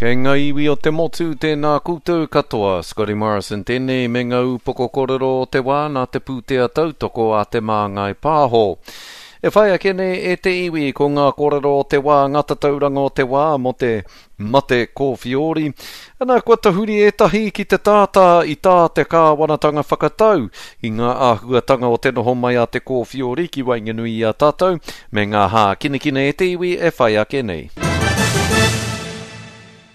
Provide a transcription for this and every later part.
Kei ngā iwi o te motu, tēnā koutou katoa. Scotty Morrison tēnei me ngā ūpoko kōrero o te wā nā te pūtea tautoko a Te Māngai Pāho. E whai ake nei e te iwi ko ngā kōrero o te wā, ngā tatauranga o te wā mō te mate kōwhiori. Ana, kua tahuri ētahi ki te tātā i tā te kāwanatanga whakatau i ngā āhuatanga o te noho mai a te kōwhiori ki waenganui i a tātou, me ngā hākinakina e te iwi e whai ake nei.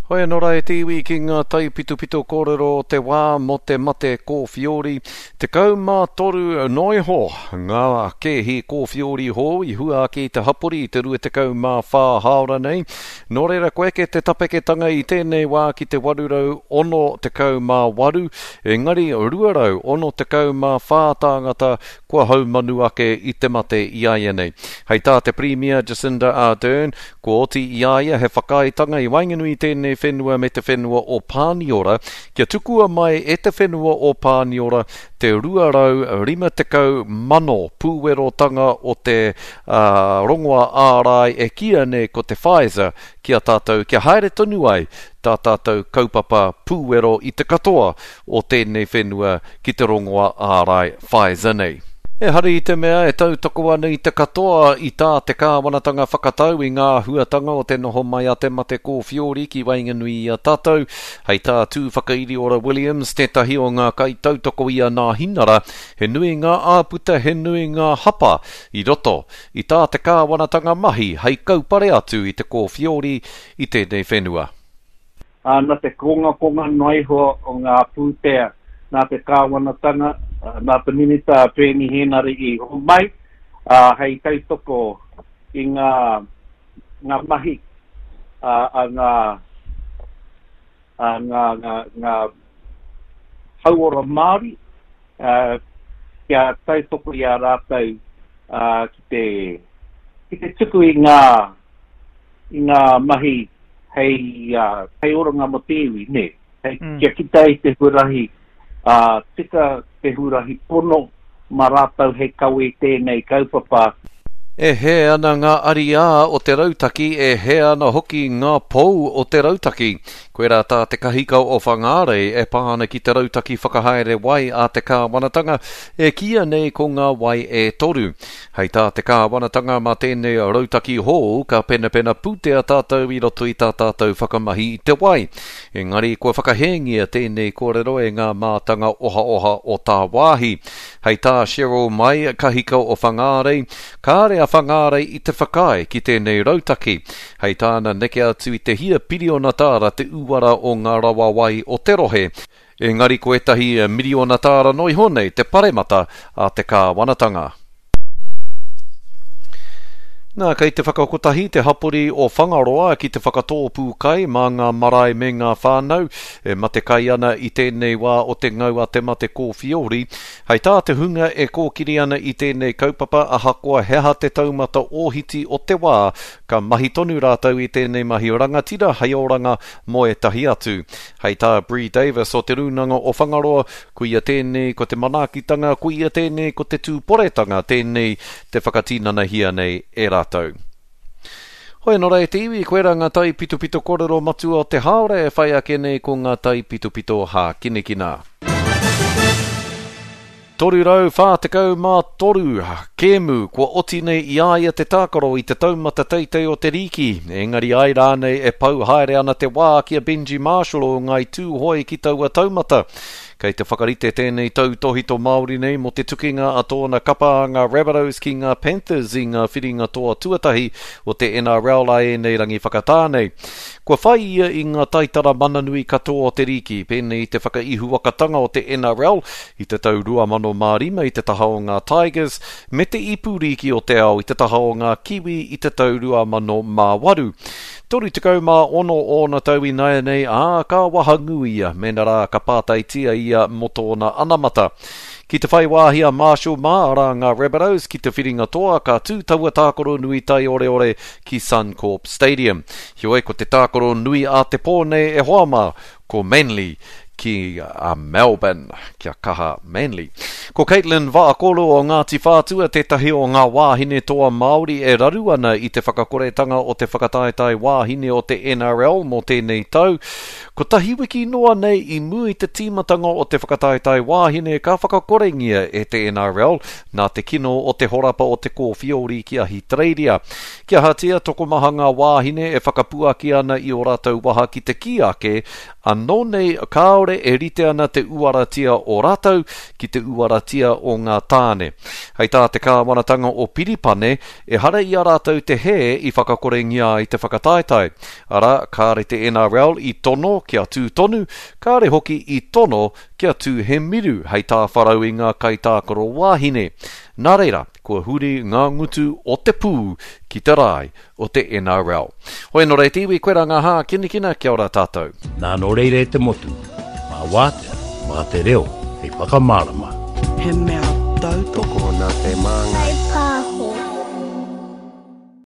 Hoi anō rā e te iwi ki ngā taipitopito kōrero o te wā mō te mate kōwhiori. 13 noa iho ngā kēhi kōwhiori hou i hua ake i te hapori i te 24 hāora nei. Nō reira kua eke te tapeketanga i tēnei wā ki te 868, engari 264 tāngata kua haumanu ake i te mate iāianei. Hei tā te Pirimia Jacinda Ardern, kua oti i a ia he whakaaetanga i waenganui i tēnei whenua me te whenua o Pāniora kia tukua mai e te whenua o Pāniora te 250,000 pūwerotanga o te rongoa ārai e kīia nei ko te Pfizer ki a tātou kia haere tonu ai tā tātou kaupapa pūwero i te katoa o tēnei whenua ki te rongoa ārai Pfizer nei. Ehara i te mea e tautoko ana i te katoa i tā te kāwanatanga whakatau i ngā āhuatanga o te noho mai a te mate kōwhiori ki waenganui i a tātou, hei tā Tūwhakairiora Williams, tētahi o ngā kaitautoko i a Nāhinara, he nui ngā āputa, he nui ngā hapa i roto i tā te kāwanatanga mahi hei kaupare atu i te kōwhiori i tēnei whenua. Ā, nā te kongakonga noa iho o ngā pūtea nā te kāwanatanga, nā te Minita a Peeni Hēnare i homai, ā, hei tautoko i ngā, ngā mahi a ngā, a ngā, ngā, ngā hauora Māori, ā, kia tautoko i a rātou, ā, ki te, ki te tuku i ngā, i ngā mahi hei, hei oranga mō te iwi, nē? Hei, mm. Kia kita i te huarahi uh, tika, te huarahi pono, mā rātou hei kawe i tēnei kaupapa. E hē ana ngā ariā o te rautaki, e hē ana hoki ngā pou o te rautaki. Koirā tā te kahika o Whangārei e pā ana ki te rautaki whakahaere wai a te kāwanatanga, e kīia nei ko ngā wai e toru. Hei tā te kāwanatanga mā tēnei rautaki hou ka penapena pūtea tātou i roto i tā tātou whakamahi i te wai. Engari kua whakahēngia tēnei kōrero e ngā mātanga ohaoha o tāwāhi. Hei tā Cheryl Mai, kahika o Whangārei, kāre a Whangārei i te whakaae ki tēnei rautaki. Hei tāna neke atu i te hia piriona tāra te uara o ngā rawa wai o te rohe. Engari ko ētahi miriona tāra noa iho nei te paremata a te kāwanatanga. Nā, kei te whakakotahi te hapori o Whangaroa ki te whakatōpū kai mā ngā marae me ngā whānau e matekai ana i tēnei wā o te ngau a te mate kōwhiori. Hei tā te hunga e kōkiri ana i tēnei kaupapa ahakoa he aha te taumata ōhiti o te wā, ka mahi tonu rātou i tēnei mahi rangatira hei oranga mō ētahi atu. Hei tā Bree Davis o Te Rūnanga o Whangaroa, koia tēnei ko te manaakitanga, koia tēnei ko te tūporetanga, tēnei te whakatinanahia nei e rātou. Hoi anō rā e te iwi, koirā ngā taipitopito kōrero matua o te hāora e whai ake nei ko ngā taipitopito hākinakina. 343 kēmu kua oti nei i a ia te tākaro i te taumata teitei o te rīki, engari ai rānei e pau haere ana te wā ki a Benji Marshall o Ngāi Tūhoe ki taua taumata. Kei te whakarite tēnei tautōhito Māori nei mō te tukinga a tōna kapa a ngā Rabbitohs ki ngā Panthers i ngā whiringa toa tuatahi o te NRL a ēnei rangi whakatā nei. Kua whai ia i ngā taitara mananui katoa o te rīki, pēnei i te whakaihuwakatanga o te NRL i te tau 2005 i te taha o ngā Tigers, me te Ipu Rīki o te Ao i te taha o ngā Kiwi i te tau 2008. 36 ōna tau ināianei, ā, ka wahangū ia mēnā rā ka pātaitia ia mō tōna anamata. Ki te whai wāhi a Marshall mā, arā ngā Rabbitohs, ki te whiringa toa, ka tū taua tākaro nui taioreore ki Suncorp Stadium. Heoi, ko te tākaro nui a te pō nei e hoa mā, ko Manly. Ki a Melbourne, kia kaha Manly. Ko Katelyn Vaakolo o Ngāti Whātua tētahi o ngā wāhine toa Māori e raru ana i te whakakoretanga o te whakataetae wāhine o te NRL mō tēnei tau. Kotahi wiki noa nei i mua i te tīmatanga o te whakataetae wāhine ka whakakorengia e te NRL nā te kino o te horapa o te kōwhiori ki Ahitereiria. Kia ahatia, tokomaha ngā wāhine e whakapuaki ana i ō rātou waha ki te kī ake Anō nei kāore e rite ana te uaratia o rātou ki te uaratia o ngā tāne. Hei tā te kāwanatanga o Piripane, ehara i a rātou te hē i whakakorengia ai te whakataetae. Arā, kāre te NRL i tono kia tū tonu, kāre hoki i tono kia tū he miru hei tāwharau i ngā kaitākaro wāhine. Nā reira, kua huri ngā ngutu o te pū ki te rae o te NRL. Hoi anō rei te iwi, koe rā ngā hākinakina, kia ora tātou. Nā nō reira e te motu, mā wātea, mā te reo hei whakamārama. He mea tautoko. Tokona te māngai.